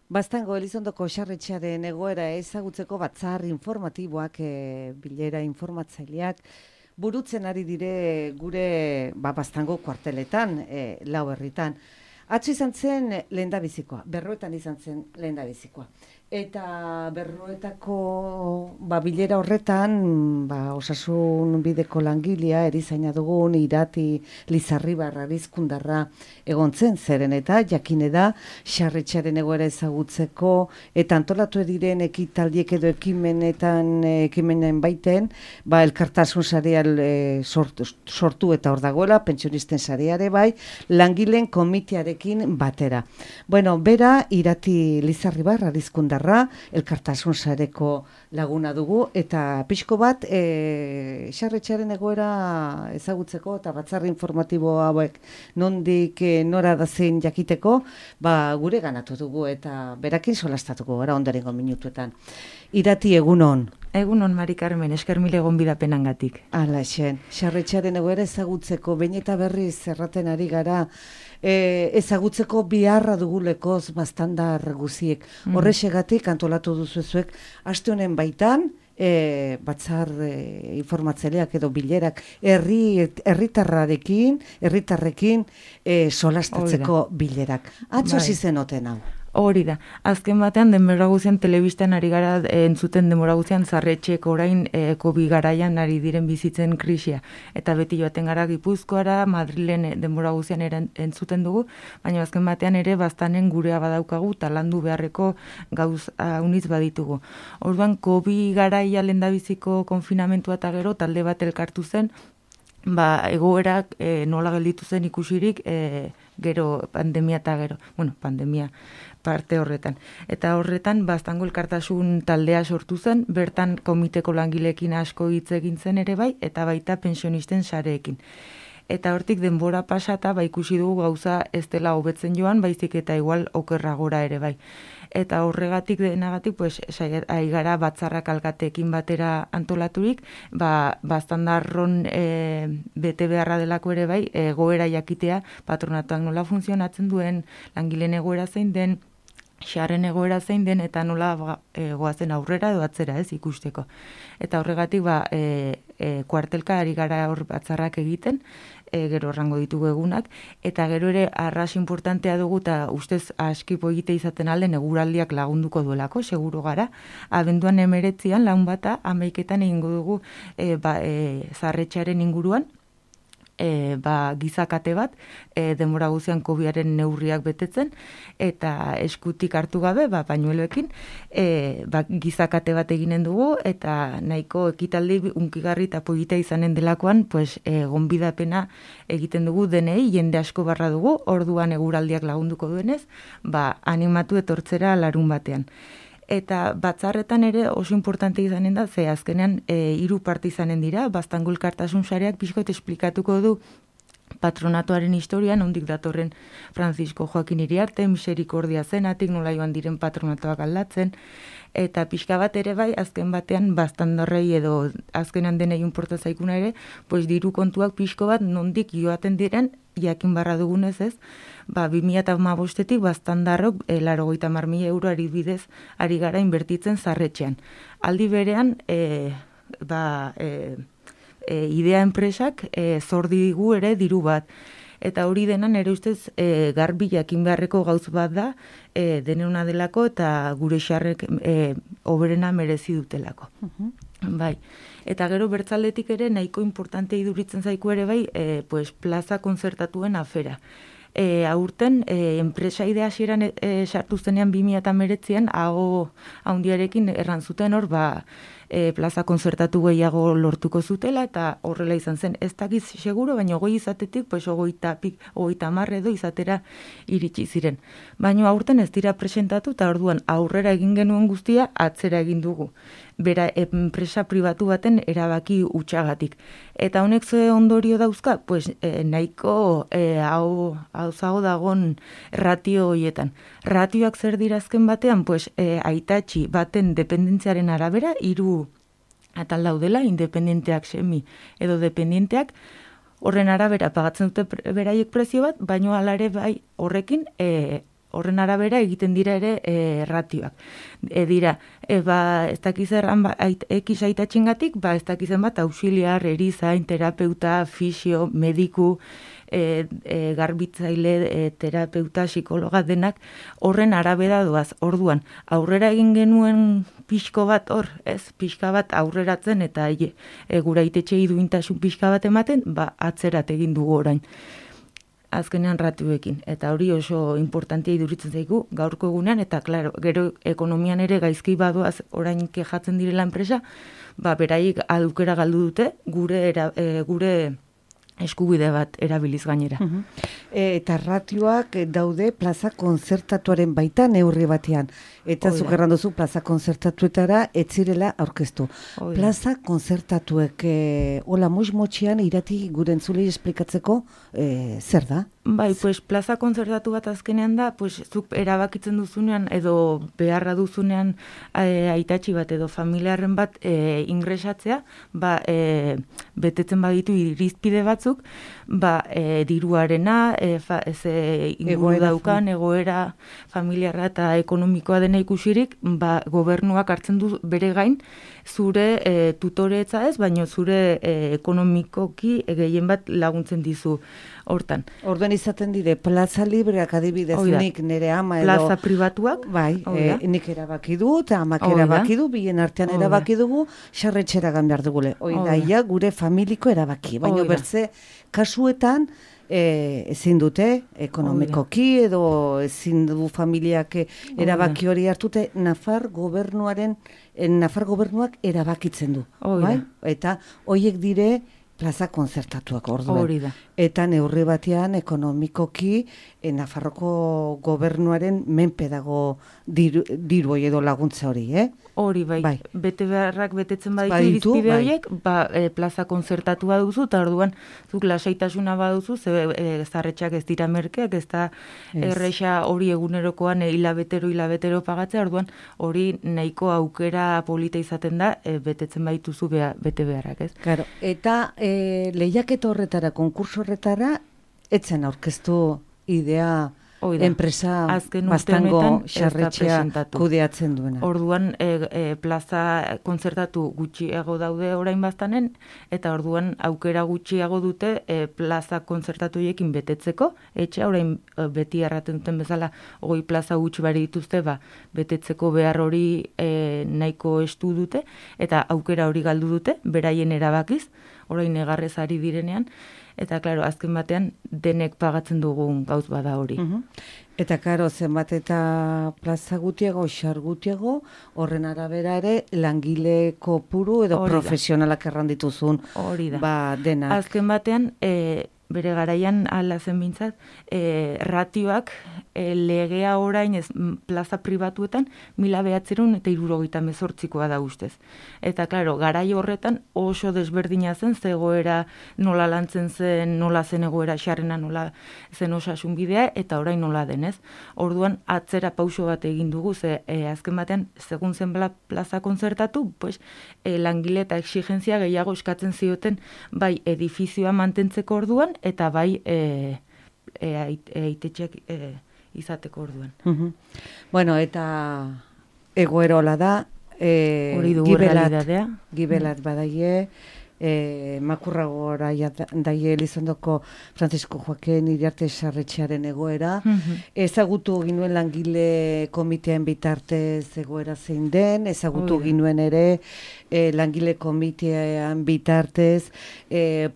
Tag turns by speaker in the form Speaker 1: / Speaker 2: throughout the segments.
Speaker 1: Baztango Elizondoko Sarretxearen egoera ezagutzeko batzar informatiboak, bilera informatzaileak, burutzen ari dire gure Baztango kuarteletan, lau herritan. Atzo izan zen lehendabizikoa, Berroetan izan zen lehendabizikoa. Eta Berroetako bilera horretan, osasun bideko langilea, erizaina dugun, Irati Lizarribar Arizkundarra egon zen, zeren eta jakine da, Sarretxearen egoera ezagutzeko, eta antolatu diren ekitaldiek edo ekimenen baiten, elkartasun sareal sortu eta hor dagoela, pentsionisten sareare bai, langileen komitearekin batera. Bueno, bera, Irati Lizarribar Arizkundarra, elkartasun sareko laguna dugu, eta pixko bat Sarretxearen egoera ezagutzeko eta batzar informatibo hauek nondik nora da zein jakiteko, gure ganatu dugu eta berakin solastatuko gara ondorengo minutuetan. Irati, egunon.
Speaker 2: Egunon, Mari Carmen, esker mil egon bidapenangatik.
Speaker 1: Hala, Sarretxearen egoera ezagutzeko, behin eta berriz erraten ari gara, ezagutzeko biharra dugulekoz baztandar guziek. Horrexegatik antolatu duzuezuek, aste honen baitan, batzar informatzaileak edo bilerak herritarrekin solastatzeko bilerak. Atzo zizen oten hau.
Speaker 2: Hori da. Azken batean, denbora guzian telebistan ari gara entzuten denbora guzian Sarretxeek orain COVID garaian ari diren bizitzen krisia. Eta beti joaten gara Gipuzkoara, Madrilen denbora guzian entzuten dugu, baina azken batean ere baztanen gurea badaukagu eta landu beharreko gauz unitz baditugu. Orduan, COVID garaia lehendabiziko konfinamentua eta gero talde bat elkartu zen, egoerak nola gelditu zen ikusirik gero pandemia eta gero, pandemia parte horretan. Eta horretan, Baztango elkartasun taldea sortu zen, bertan komiteko langileekin asko hitz egin zen ere bai, eta baita pensionisten sareekin. Eta hortik denbora pasata, ikusi dugu gauza ez dela hobetzen joan, baizik eta igual okerragora ere bai. Eta horregatik denagatik, ari gara batzarrak alkateekin batera antolaturik, baztandarron bete beharra delako ere bai, egoera jakitea, patronatuak nola funtzionatzen duen, langileen egoera zein den, xarren egoera zein den, eta nola goazen aurrera edo atzera ez ikusteko. Eta horregatik kuartelka ari gara hor batzarrak egiten, gero errango ditugu egunak, eta gero ere arras importantea dugu eta ustez askipo egite izaten alden eguraldiak lagunduko duelako, seguru gara. Abenduan 19 laun bata, 11etan egingo dugu Sarretxearen inguruan, gizakate bat, denbora guzian COVID-aren neurriak betetzen, eta eskutik hartu gabe, pañueloekin, gizakate bat eginen dugu, eta nahiko ekitaldi unkigarri eta polita izanen delakoan, gonbidapena egiten dugu denei, jende asko barra dugu, orduan eguraldiak lagunduko duenez, animatu etortzera larun batean. Eta batzarretan ere oso importante izanen da, ze azkenean 3 parte izanen dira, Baztango elkartasun sareak pixkot esplikatuko du patronatuaren historian, ondik datorren Francisco Joaquin Iriarte, miserikordia zenatik, nola joan diren patronatuak aldatzen, eta pixka bat ere bai, azken batean baztandarrei edo azkenan denei inporta zaikuna ere, diru kontuak pixko bat nondik joaten diren, jakin barra dugunez ez, 2015-etik baztandarrok 80.000 euro adibidez ari gara inbertitzen Sarretxean. Aldi berean, idea enpresak zor digu ere diru bat. Eta hori denan ere ustez garbi jakin beharreko gauz bat da, denena delako eta gure xarrek hoberena merezi dutelako. Bai. Eta gero bertzaldetik ere nahiko importante iduritzen zaiku ere bai, plaza konzertatuen afera. Aurten, enpresa idea hasieran sartu zenean 2019an, hago handiarekin errantzuten hor, plaza konzertatu gehiago lortuko zutela, eta horrela izan zen, ez dakiz seguro, baina 20 izatetik, 30 edo izatera iritsi ziren. Baina aurten ez dira presentatu, eta orduan aurrera egin genuen guztia, atzera egin dugu. Bera, enpresa pribatu baten erabaki utxagatik. Eta honek ze ondorio dauzka, nahiko hau dagon ratio horietan. Ratioak zer dira azken batean, aitatxi baten dependentziaren arabera, 3 atal daudela, independenteak semi edo dependenteak, horren arabera pagatzen dute beraiek prezio bat, baino alare bai horrekin horren arabera egiten dira ere ratioak. Dira, ez dakizerran ekiz aitatxingatik, ez dakizen bat auxiliar, erizain, terapeuta, fisio, mediku, garbitzaile, terapeuta, psikologa denak horren arabera doaz. Orduan, aurrera egin genuen pixko bat hor, pixka bat aurreratzen eta gura itetxei duintasun pixka bat ematen, atzerat egin dugu orain. Azkenean ratioekin. Eta hori oso importantia iduritzen zaigu gaurko egunean, eta klaro, gero ekonomian ere gaizki badoaz orain kejatzen direla enpresa, beraiek aukera galdu dute gure eskubide bat erabiliz gainera.
Speaker 1: Eta ratioak daude plaza konzertatuaren baita neurri batean. Eta zuk erran duzu plaza konzertatuetara ez zirela aurkeztu. Plaza konzertatuek hola motxian irati gure entzulei esplikatzeko zer da?
Speaker 2: Plaza konzertatu bat azkenean da, zuk erabakitzen duzunean edo beharra duzunean aitatxi bat edo familiarren bat ingresatzea, betetzen baditu irizpide batzuk, diruarena, inguru daukan, egoera familiarra eta ekonomikoa dena ikusirik, gobernuak hartzen du bere gain, zure tutoretza ez, baina zure ekonomikoki gehien bat laguntzen dizu hortan.
Speaker 1: Orduan izaten dire, plaza libreak adibidez nik nire ama edo...
Speaker 2: Plaza pribatuak?
Speaker 1: Nik erabaki du, eta amak erabaki du, bien artean erabaki dugu, sarretxera behar dugule. Ia gure familiko erabaki, baina bertze kasuetan ezin dute, ekonomikoki edo ezin du familiak erabaki hori hartute, Nafar gobernuak erabakitzen du. Eta horiek dire plaza konzertatuak orduan. Eta neurri batean ekonomikoki Nafarroko gobernuaren menpe dago diru edo laguntza hori,
Speaker 2: Hori, bete beharrak betetzen baditu irizpide horiek, plaza konzertatua duzu, eta orduan zuk lasaitasuna baduzu, zarretxak ez dira merkeak, ez da erresa hori egunerokoan hilabetero pagatzea, orduan hori nahiko aukera polita izaten da, betetzen badituzu bete beharrak, ez?
Speaker 1: Claro, eta lehiaketa horretara, konkurso horretara, etzen aurkeztu idea enpresa bastango sarretxea kudeatzen duena.
Speaker 2: Orduan plaza konzertatu gutxiago daude orain bastanen, eta orduan aukera gutxiago dute plaza konzertatuekin betetzeko, etxea orain beti erraten duten bezala 20 plaza gutxi bari dituzte, betetzeko behar hori nahiko estu dute, eta aukera hori galdu dute, beraien erabakiz, orain negarrez ari direnean, eta, klaro, azken batean denek pagatzen dugun gauz bada hori.
Speaker 1: Eta, klaro, zenbat eta plaza gutiago, xar gutiago, horren arabera ere, langile kopuru edo profesionalak errandituzun denak.
Speaker 2: Azken batean, bere garaian ala zen bintzat, ratioak legea orain plaza pribatuetan 1978koa da ustez. Eta, klaro, garai horretan oso desberdina zen, zegoera nola lantzen zen, nola zen egoera xarrena, nola zen osasun bidea, eta orain nola denez. Orduan, atzera pauso bat egin dugu, azken batean, segun zen plaza konzertatu, langile eta exigentzia gehiago eskatzen zioten, bai edifizioa mantentzeko orduan, eta bai aitetxeak izateko orduan.
Speaker 1: Bueno, eta egoerola da, gibelat badaie, makurragora daie Elizondoko Francisco Joaquin Iriarte sarretxearen egoera. Ezagutu ginuen langile komitean bitartez egoera zein den, ezagutu ginuen ere langile komitean bitartez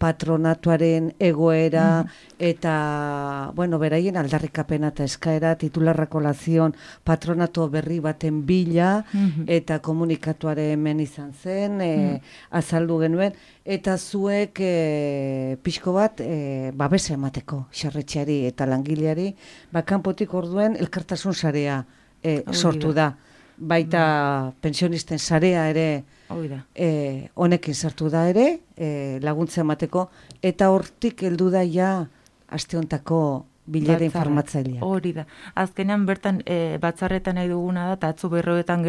Speaker 1: patronatuaren egoera eta, beraien aldarrikapena eta eskaera titularrako lazion patronato berri baten bila eta komunikatuaren hemen izan zen, azaldu genuen, eta zuek pixko bat babesa emateko sarretxeari eta langileari, kanpotik orduen elkartasun sarea sortu da. Baita pensionisten sarea ere honekin sartu da ere, laguntza emateko, eta hortik heldu da ja aste hontako bilera informatzailea.
Speaker 2: Hori da. Azkenean bertan batzarretan nahi duguna da, eta atzo berroetan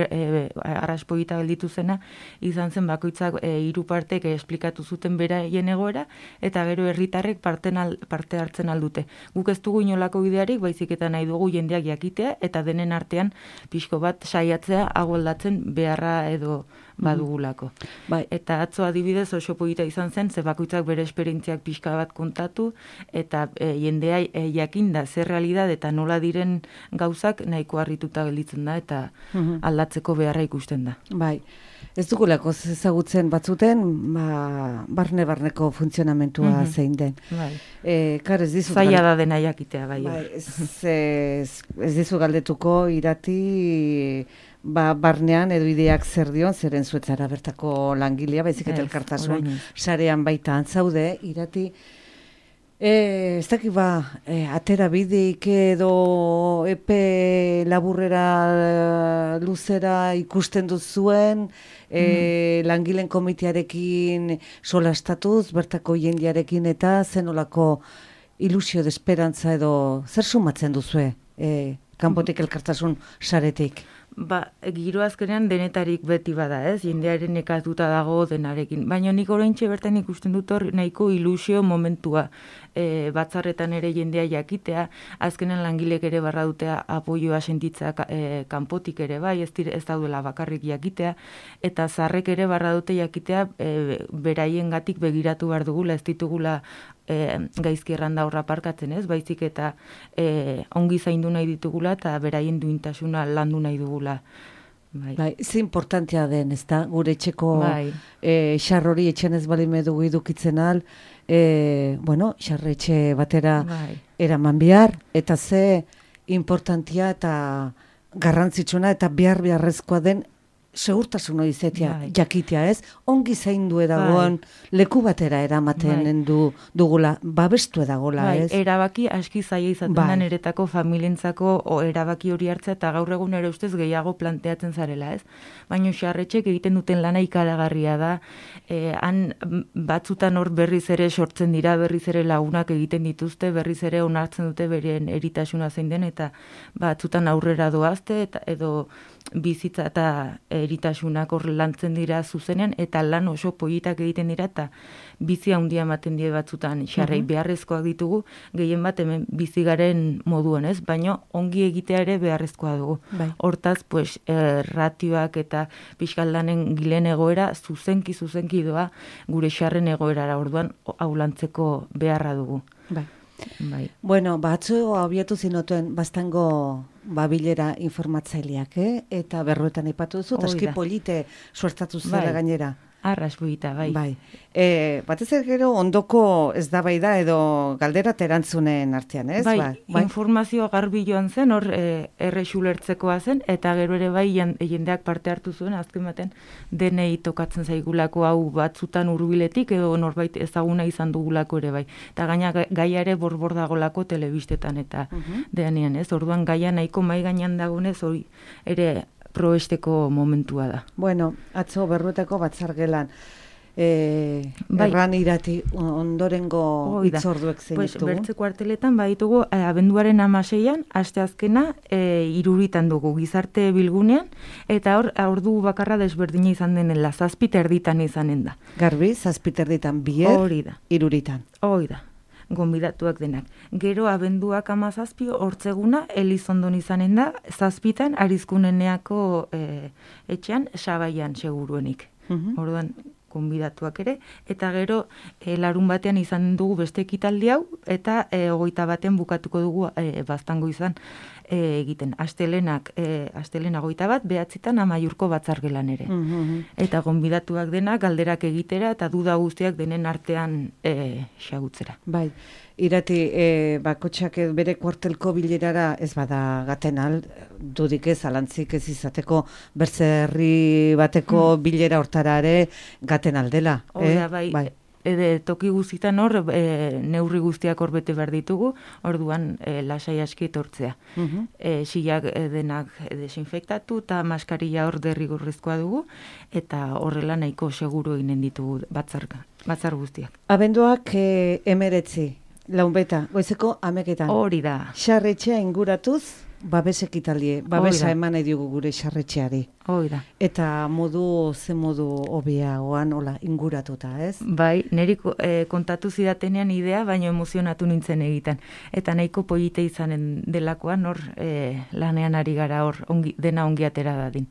Speaker 2: arraspoita gelditu zena, izan zen bakoitzak 3 partek esplikatu zuten beraien egoera, eta gero herritarrek parte hartzen aldute. Guk ez dugu inolako bidearik, baizik eta nahi dugu jendeak jakitea, eta denen artean pixko bat saiatzea agoldatzen beharra edo badugulako.
Speaker 1: Bai.
Speaker 2: Eta atzo adibidez oso polita izan zen, ze bakoitzak bere esperientziak pixka bat kontatu, eta jendea jakinda zer realidad eta nola diren gauzak nahiko harrituta gelditzen da, eta aldatzeko beharra ikusten da.
Speaker 1: Bai. Ez dugulako ezagutzen batzuten, barne-barneko funtzionamentua zein den.
Speaker 2: Bai.
Speaker 1: Ez dizu
Speaker 2: zaila da dena jakitea, bai.
Speaker 1: Ez dizu galdetuko Irati barnean edo ideak zer dion, zeren zuetzara bertako langilea, baizik eta elkartasun sarean baita antzaude, Irati. Ez dakit atera bideik edo epe laburrera luzera ikusten duzuen, langileen komitearekin solastatuz, bertako jendearekin eta zenolako ilusio de esperantza edo zer sumatzen duzue kanpotik elkartasun saretik?
Speaker 2: Giro azkenean denetarik beti bada, ez? Jendearen nekatuta dago denarekin. Baina nik oraintxe bertan ikusten dut hor nahiko ilusio momentua. Batzarretan ere jendea jakitea, azkenean langilek ere barra dutea apoioa sentitzea kanpotik ere bai, ez daudela bakarrik jakitea, eta zarrek ere barra dute jakitea beraiengatik begiratu behar dugula, ez ditugula gaizki erranda horra parkatzen, ez? Baizik eta ongi zaindu nahi ditugula eta beraien duintasuna landu nahi dugula.
Speaker 1: Bai, ze importantea den, ez da, gure etxeko xarrori etxen ez balime dugu idukitzen al, xarretxe batera eraman behar, eta ze importantea eta garrantzitsuna eta beharrezkoa den segurtasun hori zetea, jakitea, ez? Ongi zaindu edagoen leku batera eramaten dugula, babestu edagola, ez?
Speaker 2: Erabaki aski zaila izaten da niretako familientzako erabaki hori hartzea, eta gaur egun ere ustez gehiago planteatzen zarela, ez? Baina xarretxek egiten duten lana ikaragarria da, han batzutan hor berriz ere sortzen dira, berriz ere lagunak egiten dituzte, berriz ere onartzen dute beren eritasuna zein den, eta batzutan aurrera doazte, edo bizitza eta eritasunak hor lantzen dira zuzenean, eta lan oso politak egiten dira, eta bizi handia ematen die batzutan xarrei beharrezkoak ditugu, gehien bat hemen bizigaren moduan, ez? Baina ongi egitea ere beharrezkoa dugu. Hortaz, ratioak eta pixkaldanen gilen egoera zuzenki doa gure xarren egoerara, orduan aulantzeko beharra dugu.
Speaker 1: Bueno, batzu abiatu zinotuen bastango bilera informatzaileak, eta berroetan aipatu duzu, aski polite suertatu zela gainera.
Speaker 2: Arras buita, bai.
Speaker 1: Batez gero ondoko ez da bai da edo galdera terantzunen artean, ez?
Speaker 2: Informazioa garbi joan zen, hor erresulertzekoa zen, eta gero ere bai jendeak parte hartu zuen, azken baten denei tokatzen zaigulako hau batzutan hurbiletik edo norbait ezaguna izan dugulako ere bai. Eta gaina gaia ere borbor dagolako telebistetan eta denean, ez? Orduan gaia nahiko mai gainean dagoenez hori ere probesteko momentua da.
Speaker 1: Bueno, atzo berruetako batzargelan. Erran Irati ondorengo hitzorduek zein ditugu?
Speaker 2: Bertze kuarteletan baditugu abenduaren 16an, asteazkena 3 dugu gizarte bilgunean, eta hor ordu bakarra desberdina izan denela, 7:30 izanen da.
Speaker 1: Garbi, 7:30 bier, 3:00.
Speaker 2: Hori da. Gonbidatuak denak. Gero abenduak 17 hortzeguna Elizondon izanen da, 7 Arizkuneneako etxean Sabaian seguruenik. Orduan gonbidatuak ere, eta gero larun batean izan dugu beste ekitaldi hau, eta 21 bukatuko dugu baztango izan egiten. Astelena 21, 9 Amaiurko batzargelan ere. Eta gonbidatuak denak galderak egitera eta duda guztiak denen artean xagutzera.
Speaker 1: Bai. Irati, bakotxak bere kuartelko bilerara ez bada gaten dudik ez, alantzik ez izateko bertzerri bateko bilera hortara ere gaten aldela.
Speaker 2: Bai. Toki guztietan hor, neurri guztiak hor bete behar ditugu, orduan lasai aski etortzea. Silak denak desinfektatu eta maskarilla hor derrigorrezkoa dugu, eta horrela nahiko seguru eginen ditugu batzar guztiak.
Speaker 1: Abenduak 19, Launbeta, goizeko 11etan.
Speaker 2: Hori da.
Speaker 1: Sarretxea inguratuz, babes ekitalie, babesa eman nahi diogu gure sarretxeari.
Speaker 2: Hoi da.
Speaker 1: Eta ze modu hobeagoan hola inguratuta, ez?
Speaker 2: Bai, niri kontatu zidatenean idea, baino emozionatu nintzen egiten. Eta nahiko polite izanen delakoan hor lanean ari gara hor dena ongi atera dadin.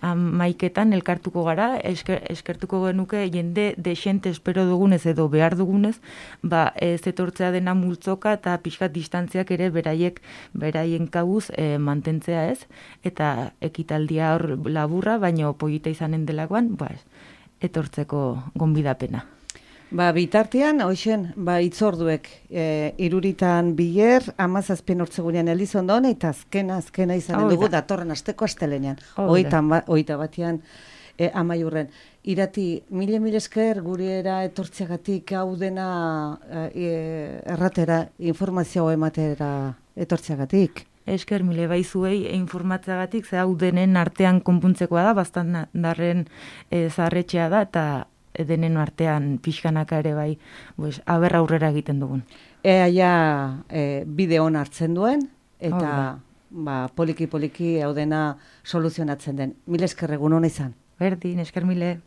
Speaker 2: Maiketan elkartuko gara, eskertuko genuke jende desente espero dugunez edo behar dugunez, ez etortzea dena multzoka eta pixkat distantziak ere beraien kabuz mantentzea ez, eta ekitaldia hor laburra, baino polita izanen delakoan, etortzeko gonbidapena.
Speaker 1: Bitartean, hoxen, itzorduek, 3 biler, 17 hortzegunean Elizondon, eta azkena izanen dugu datorren asteko astelenean. 21 amaiurren. Irati, mile esker guriera etortzeagatik hau dena erratera, informazioa ematera etortzeagatik.
Speaker 2: Esker mile baizuei informatzeagatik, ze hau denen artean konpuntzekoa da, bastan darren zaharretxea da, eta denen artean pixkanaka ere bai, aurrera egiten dugun.
Speaker 1: Ea bideon hartzen duen, eta poliki hau dena soluzionatzen den. Mile esker egun hona izan.
Speaker 2: Berdin, esker mile.